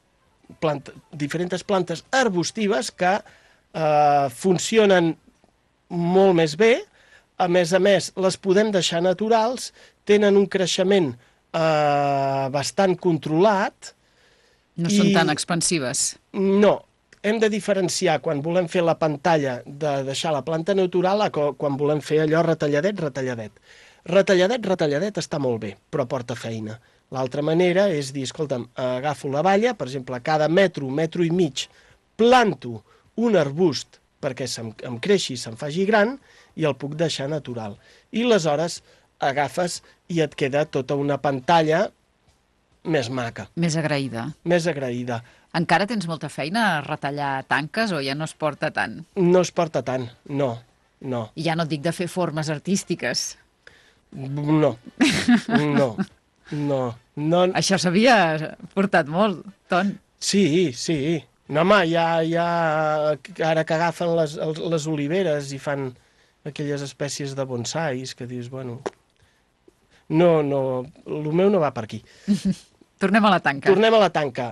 plant, diferents plantes arbustives que eh, funcionen molt més bé. A més a més, les podem deixar naturals, tenen un creixement eh, bastant controlat. No són tan expansives. No. Hem de diferenciar quan volem fer la pantalla de deixar la planta natural a quan volem fer allò retalladet, retalladet. Retalladet, retalladet està molt bé, però porta feina. L'altra manera és dir, escolta'm, agafo la valla, per exemple, cada metro, metro i mig, planto un arbust perquè se'm, em creixi i se'm faci gran, i el puc deixar natural. I aleshores agafes i et queda tota una pantalla més maca. Més agraïda. Més agraïda. Encara tens molta feina a retallar tanques o ja no es porta tant? No es porta tant, no, no. I ja no et dic de fer formes artístiques. No, no, no. no. Això s'havia portat molt, Ton. Sí, sí. No, home, ja, ja ara que agafen les, les oliveres i fan aquelles espècies de bonsais que dius, bueno, no, no, el meu no va per aquí. Tornem a la tanca. Tornem a la tanca.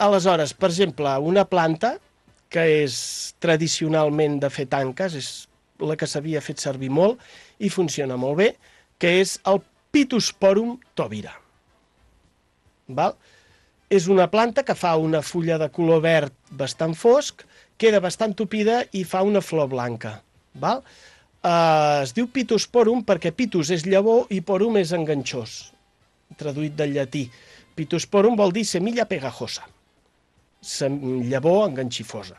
Aleshores, per exemple, una planta que és tradicionalment de fer tanques, és la que s'havia fet servir molt i funciona molt bé, que és el Pittosporum tobira. Val? És una planta que fa una fulla de color verd bastant fosc, queda bastant tupida i fa una flor blanca. Val? Uh, es diu Pittosporum perquè Pittus és llavor i porum és enganxós, traduït del llatí. Pittosporum vol dir semilla pegajosa, llavor enganxifosa.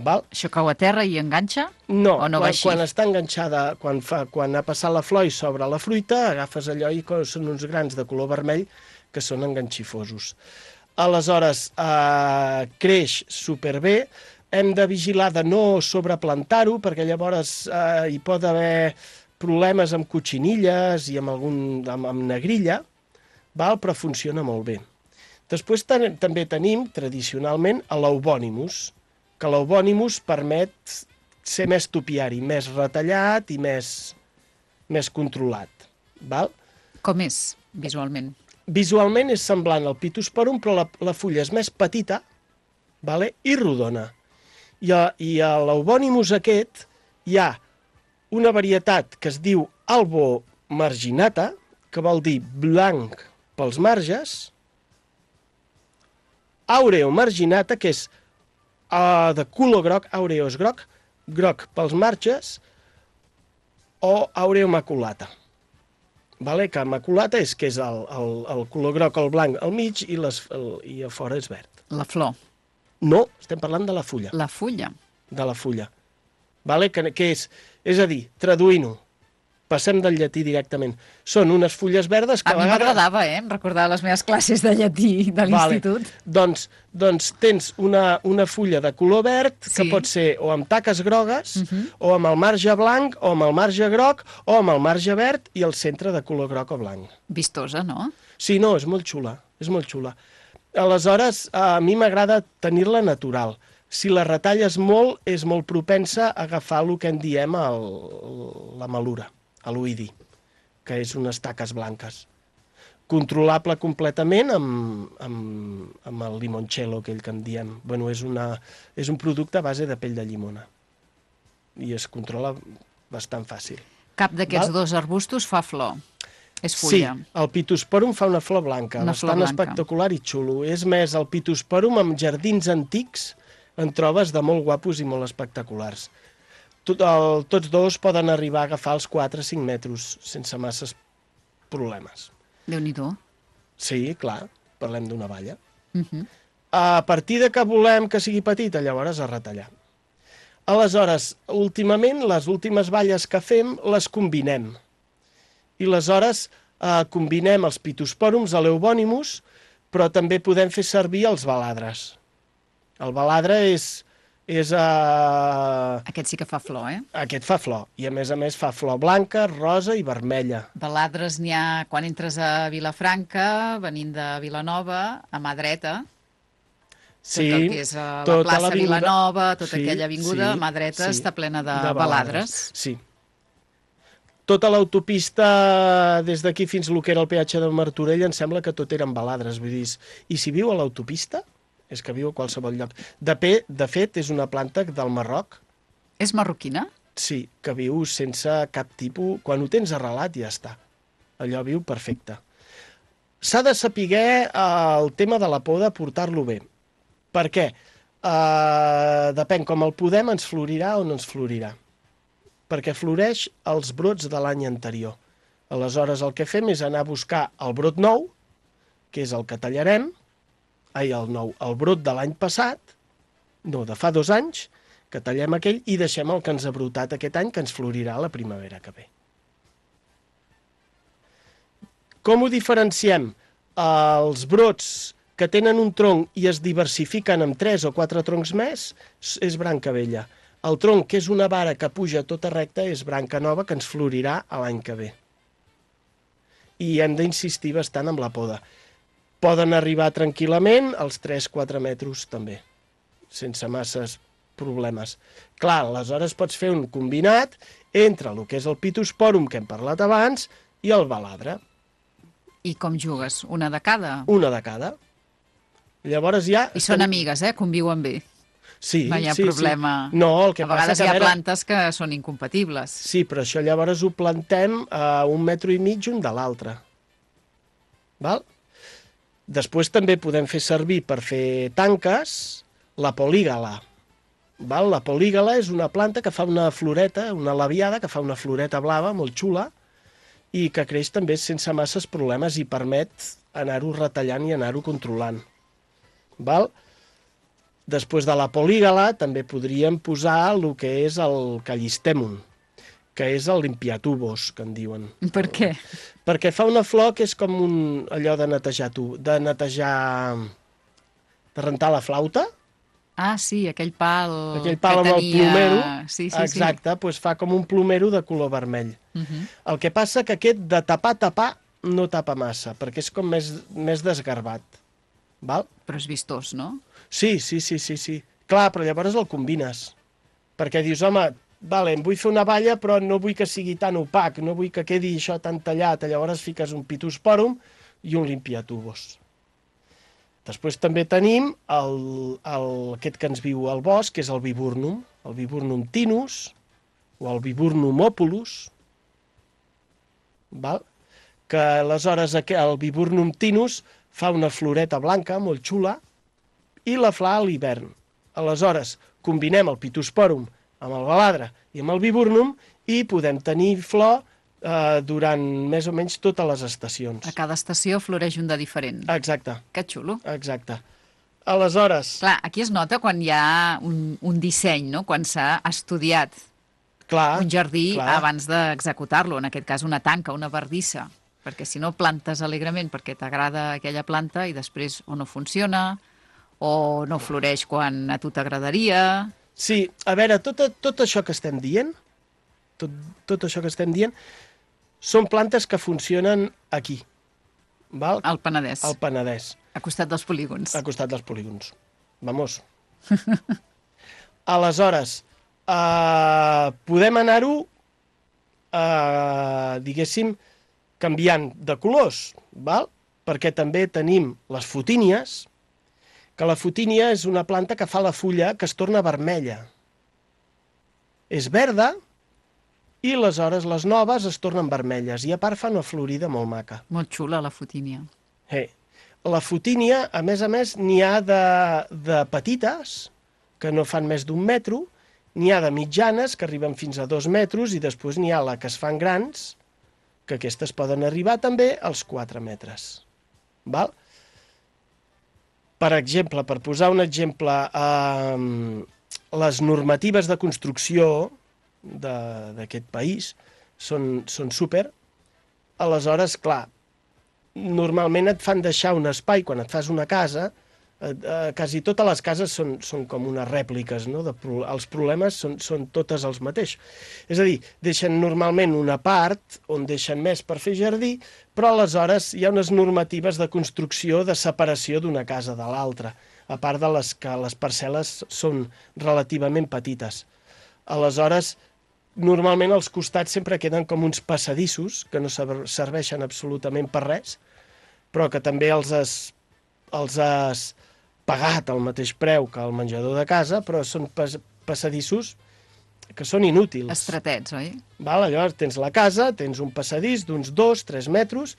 Val? Això cau a terra i enganxa? No, o no quan, va així? quan està enganxada, quan, fa, quan ha passat la flor i s'obre la fruita, agafes allò i són uns grans de color vermell que són enganxifosos. Aleshores, eh, creix superbé, hem de vigilar de no sobreplantar-ho, perquè llavors eh, hi pot haver problemes amb cotxinilles i amb, algun, amb, amb negrilla, val? Però funciona molt bé. Després ten també tenim, tradicionalment, l'eubònimus, que l'eubònimus permet ser més topiari, més retallat i més, més controlat. Val? Com és, visualment? Visualment és semblant al Pittosporum, però la, la fulla és més petita, vale? I rodona. I a, i a l'eubònimus aquest hi ha una varietat que es diu albo marginata, que vol dir blanc pels marges, aureo marginata, que és uh, de color groc, aureo és groc, groc pels marges, o aureo maculata. Vale? Que maculata és que és el, el, el color groc, el blanc al mig i, les, el, i a fora és verd. La flor. No, estem parlant de la fulla. La fulla. De la fulla. Vale? Que, que és, és a dir, traduint-ho, passem del llatí directament. Són unes fulles verdes que a, a mi vegades... m'agradava, eh? Em recordava les meves classes de llatí de l'institut. Vale. Doncs, doncs tens una, una fulla de color verd, sí, que pot ser o amb taques grogues, uh -huh, o amb el marge blanc, o amb el marge groc, o amb el marge verd i el centre de color groc o blanc. Vistosa, no? Sí, no, és molt xula, és molt xula. Aleshores, a mi m'agrada tenir-la natural. Si la retalles molt, és molt propensa a agafar el que en diem el, la malura, l'oidi, que és unes taques blanques. Controlable completament amb, amb, amb el limoncello, aquell que en diem. Bueno, és, una, és un producte a base de pell de llimona i es controla bastant fàcil. Cap d'aquests dos arbustos fa flor. És fulla. Sí, el Pittosporum fa una flor blanca, una bastant flor blanca. espectacular i xulo. És més, el Pittosporum amb jardins antics en trobes de molt guapos i molt espectaculars. Tot el, tots dos poden arribar a agafar els quatre a cinc metres sense masses problemes. Déu-n'hi-do. Sí, clar, parlem d'una valla. Uh -huh. A partir de que volem que sigui petita, llavors a retallar. Aleshores, últimament, les últimes valles que fem les combinem. I aleshores eh, combinem els Pittosporums a l'eubònimus, però també podem fer servir els baladres. El baladre és... és uh... Aquest sí que fa flor, eh? Aquest fa flor, i a més a més fa flor blanca, rosa i vermella. Baladres n'hi ha quan entres a Vilafranca, venint de Vilanova, a mà dreta. Sí, tot el que és a la tota plaça l'avinguda... Vilanova, tota sí, aquella avinguda, sí, a mà dreta, sí, està plena de, de baladres. baladres. Sí. Tota l'autopista, des d'aquí fins al que era el peatge de Martorell, em sembla que tot eren baladres. Vull dir, i si viu a l'autopista, és que viu a qualsevol lloc. De, pe, de fet, és una planta del Marroc. És marroquina? Sí, que viu sense cap tipus... Quan ho tens arrelat, ja està. Allò viu perfecte. S'ha de saber eh, el tema de la poda, portar-lo bé. Per què? Eh, depèn, com el podem, ens florirà o no ens florirà. Perquè floreix els brots de l'any anterior. Aleshores, el que fem és anar a buscar el brot nou, que és el que tallarem, ai, el nou, el brot de l'any passat, no, de fa dos anys, que tallem aquell i deixem el que ens ha brotat aquest any, que ens florirà la primavera que ve. Com ho diferenciem? Els brots que tenen un tronc i es diversifiquen amb tres o quatre troncs més és branca vella. El tronc, que és una vara que puja tota recta, és branca nova, que ens florirà l'any que ve. I hem d'insistir bastant amb la poda. Poden arribar tranquil·lament als tres a quatre metres també, sense masses problemes. Clar, aleshores pots fer un combinat entre el que és el Pittosporum, que hem parlat abans, i el baladre. I com jugues? Una de cada? Una de cada. Llavors ja... I són amigues, eh? Conviuen bé. Sí, no hi ha sí, problema. Sí. No, el que a vegades passa hi ha que, plantes que són incompatibles. Sí, però això llavors ho plantem a un metre i mig un de l'altre. Val? Després també podem fer servir per fer tanques la polígala. Val? La polígala és una planta que fa una floreta, una labiada, que fa una floreta blava molt xula i que creix també sense masses problemes i permet anar-ho retallant i anar-ho controlant. Val? Després de la polígala també podríem posar el que és el callistemum, que és el limpiatubos, que en diuen. Per què? Perquè fa una flor que és com un, allò de netejar tu, de netejar, de rentar la flauta. Ah, sí, aquell pal, aquell pal que amb tenia... el plomero. Sí, sí, exacte, sí. Doncs fa com un plomero de color vermell. Uh -huh. El que passa que aquest de tapar, tapar, no tapa massa, perquè és com més, més desgarbat. Val? Però és vistós, no? Sí, sí, sí, sí, sí. Clar, però llavors el combines. Perquè dius, home, vale, em vull fer una valla, però no vull que sigui tan opac, no vull que quedi això tan tallat. Llavors fiques un pitospòrum i un limpiatubos. Després també tenim el, el, aquest que ens viu al bosc, que és el viburnum, el viburnum tinus o el viburnum opulus, val? Que aleshores el viburnum tinus fa una floreta blanca molt xula i la fa a l'hivern. Aleshores, combinem el pitospòrum amb el baladre i amb el viburnum i podem tenir flor eh, durant més o menys totes les estacions. A cada estació floreix un de diferent. Exacte. Que xulo. Exacte. Aleshores... Clar, aquí es nota quan hi ha un, un disseny, no? Quan s'ha estudiat clar, un jardí clar. abans d'executar-lo, en aquest cas una tanca, una bardissa, perquè si no plantes alegrement perquè t'agrada aquella planta i després o no funciona o no floreix quan a tu t'agradaria. Sí, a veure, tot, tot això que estem dient, tot, tot això que estem dient, són plantes que funcionen aquí. Val? Al Penedès. Al Penedès. A costat dels polígons. A costat dels polígons. Vamos. Aleshores, eh, podem anar-ho, eh, diguéssim, canviant de colors, val? Perquè també tenim les fotínies, que la fotínia és una planta que fa la fulla que es torna vermella. És verda i aleshores les noves es tornen vermelles i a part fa una florida molt maca. Molt xula la fotínia. Hey. La fotínia, a més a més, n'hi ha de, de petites, que no fan més d'un metro, n'hi ha de mitjanes, que arriben fins a dos metres, i després n'hi ha la que es fan grans, que aquestes poden arribar també als quatre metres. Val? Per exemple, per posar un exemple, eh, les normatives de construcció d'aquest país són, són súper. Aleshores, clar, normalment et fan deixar un espai, quan et fas una casa, eh, eh, quasi totes les cases són, són com unes rèpliques, no? De, els problemes són, són totes els mateixos. És a dir, deixen normalment una part on deixen més per fer jardí, però aleshores hi ha unes normatives de construcció de separació d'una casa de l'altra, a part de les que les parcel·les són relativament petites. Aleshores, normalment als costats sempre queden com uns passadissos que no serveixen absolutament per res, però que també els has, els has pagat al mateix preu que el menjador de casa, però són pas, passadissos que són inútils. Estretets, oi? Val, llavors tens la casa, tens un passadís d'uns dos, tres metres,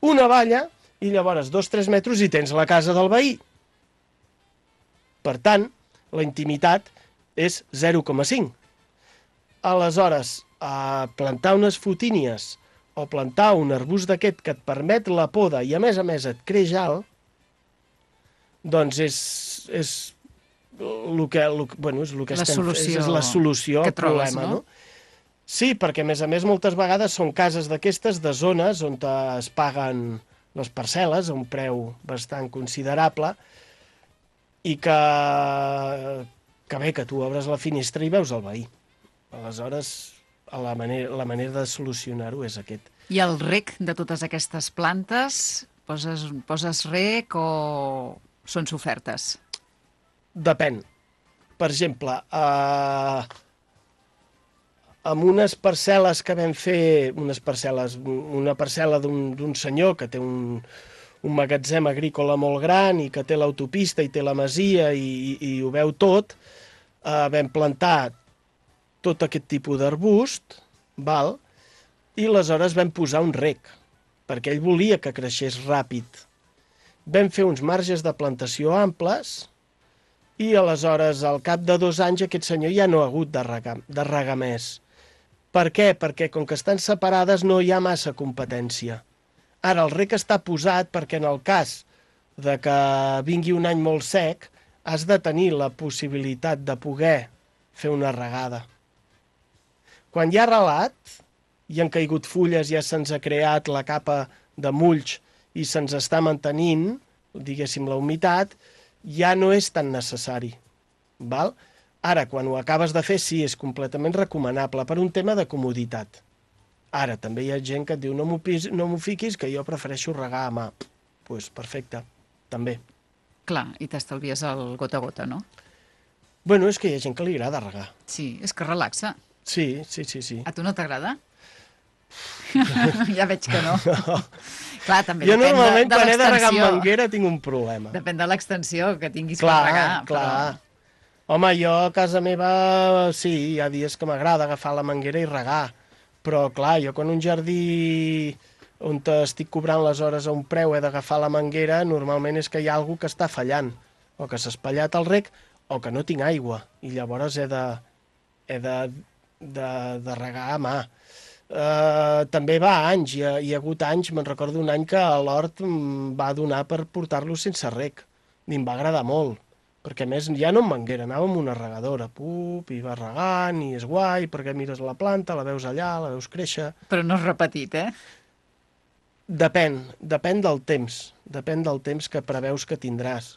una valla, i llavors dos, tres metres i tens la casa del veí. Per tant, la intimitat és zero coma cinc. Aleshores, a plantar unes fotínies o plantar un arbust d'aquest que et permet la poda i a més a més et creix alt, doncs és, és el que, el, bueno, és el que la estem, solució és la solució al trobes, problema. no? No? Sí, perquè a més a més moltes vegades són cases d'aquestes de zones on es paguen les parcel·les a un preu bastant considerable i que, que bé, que tu obres la finestra i veus el veí. Aleshores, la manera, la manera de solucionar-ho és aquest. I el rec de totes aquestes plantes, poses, poses rec o són sofertes? Depèn. Per exemple, eh, amb unes parcel·les que vam fer, unes parcel·les, una parcel·la d'un senyor que té un, un magatzem agrícola molt gran i que té l'autopista i té la masia i, i, i ho veu tot, eh, vam plantar tot aquest tipus d'arbust, val? I aleshores vam posar un rec, perquè ell volia que creixés ràpid. Vam fer uns marges de plantació amples i aleshores, al cap de dos anys, aquest senyor ja no ha hagut de regar, de regar més. Per què? Perquè com que estan separades no hi ha massa competència. Ara, el rec està posat perquè en el cas de que vingui un any molt sec, has de tenir la possibilitat de poder fer una regada. Quan hi ha relat, i han caigut fulles, ja se'ns ha creat la capa de mulls i se'ns està mantenint, diguéssim, la humitat, ja no és tan necessari. Val? Ara, quan ho acabes de fer, sí, és completament recomanable per un tema de comoditat. Ara, també hi ha gent que et diu no m'ho pis- no m'ho fiquis, que jo prefereixo regar a mà. Doncs pues perfecte, també. Clar, i t'estalvies el gota a gota, no? Bueno, és que hi ha gent que li agrada regar. Sí, és que relaxa. Sí, sí, sí, sí. A tu no t'agrada? Ja veig que no. No. Clar, també Jo depèn de, normalment de quan he de regar amb l'extensió. manguera tinc un problema. Depèn de l'extensió que tinguis Clar, per regar. clar. Home, jo a casa meva sí, hi ha dies que m'agrada agafar la manguera i regar, però clar, jo quan un jardí on estic cobrant les hores a un preu he d'agafar la manguera, normalment és que hi ha algú que està fallant, o que s'ha espatllat el rec, o que no tinc aigua, i llavors he de, he de, de, de regar a mà. Uh, també va a anys, hi ha, hi ha hagut anys, me'n recordo un any que l'hort em va donar per portar-lo sense rec, i em va agradar molt, perquè a més ja no amb manguera, anava amb una regadora, pup, i va regant, i és guai, perquè mires la planta, la veus allà, la veus créixer... Però no és repetit, eh? Depèn, depèn del temps, depèn del temps que preveus que tindràs.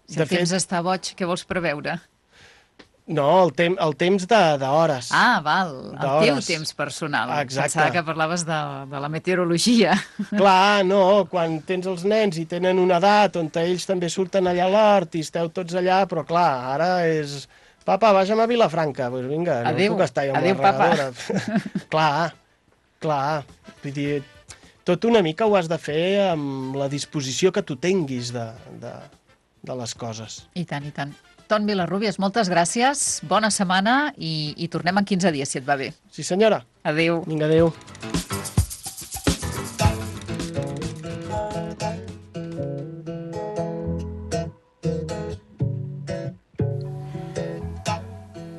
Si el temps està boig, què vols preveure? No, el, tem el temps d'hores. Ah, val, el teu temps personal. Exacte. Pensava que parlaves de, de la meteorologia. Clar, no, quan tens els nens i tenen una edat on ells també surten allà a l'hort i esteu tots allà, però clar, ara és... Papa, vagem a Vilafranca. Doncs pues vinga, adéu, no puc estar amb adéu, la regadora. papa. Clar, clar. Vull dir, tot una mica ho has de fer amb la disposició que tu tinguis de, de, de les coses. I tant, i tant. Ton Vilarrubias, moltes gràcies, bona setmana i, i tornem en quinze dies, si et va bé. Sí, senyora. Adéu. Vinga, adéu.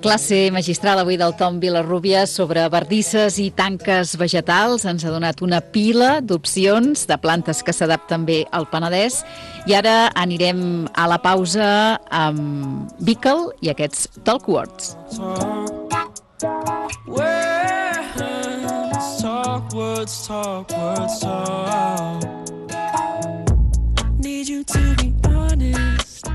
Classe magistral avui del Tom Vilarrubias sobre bardisses i tanques vegetals. Ens ha donat una pila d'opcions de plantes que s'adapten bé al Penedès. I ara anirem a la pausa amb Bickle i aquests Talk Words. Talk words, talk words, talk. Need you to be honest.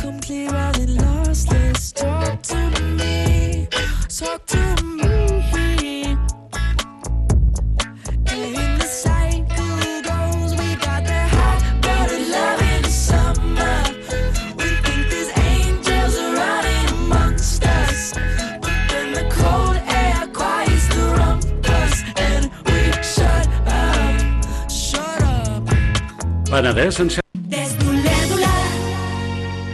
Come clear all the lost. Let's talk to me. Talk to me. And the cycle goes. We got the hot blooded love in the summer. We think there's angels running amongst us. But then the cold air quiets the rumpus. And we shut up, shut up. Penedès en